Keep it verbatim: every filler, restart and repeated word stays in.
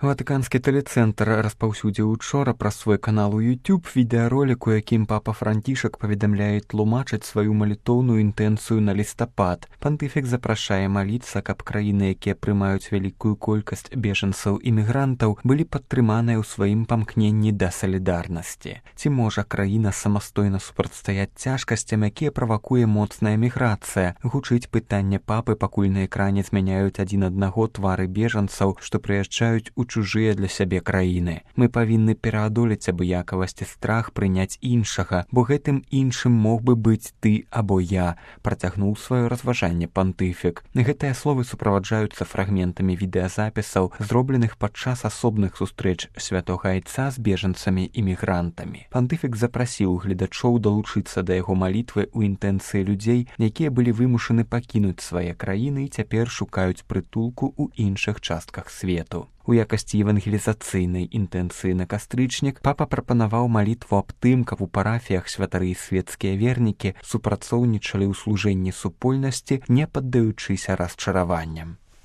Ватыканскі тэлецэнтр распаўсюдзіў учора праз свой канал у YouTube відэаролік, у якім папа Францішак паведамляе тлумачыць сваю малітоўную інтэнцыю на лістапад. Пантыфік запрашае маліцца, каб краіны, якія прымаюць вялікую колькасць бежанцаў і мігрантаў, былі падтрыманыя ў сваім памкненні да салідарнасці. Ці можа краіна самастойна супрацьстаяць цяжкасцям, якія правакуе моцная міграцыя? Гучыць пытанне папы, пакуль на экране змяняюць адзін аднаго твары бежанцаў, што прыязджаюць у чужыя для сябе краіны. Мы павінны пераадолець абыякавасць і страх прыняць іншага, бо гэтым іншым мог бы быць ты або я, працягнуў сваё разважанне пантыфік. Гэтыя словы суправаджаюцца фрагментамі відэазапісаў, зробленых падчас асобных сустрэч святога айца з бежанцамі і мігрантамі. Пантыфік запрасіў гледачоў далучыцца да яго малітвы ў інтэнцыі людзей, якія былі вымушаны пакінуць свае краіны і цяпер шукаюць прытулку ў іншых частках свету. У якасці евангелізацыйнай інтэнцыі на кастрычнік папа прапанаваў малітву аб тым, каб у парафіях святары і свецкія вернікі супрацоўнічалі ў служэнні супольнасці, не паддаючыся расчараванням.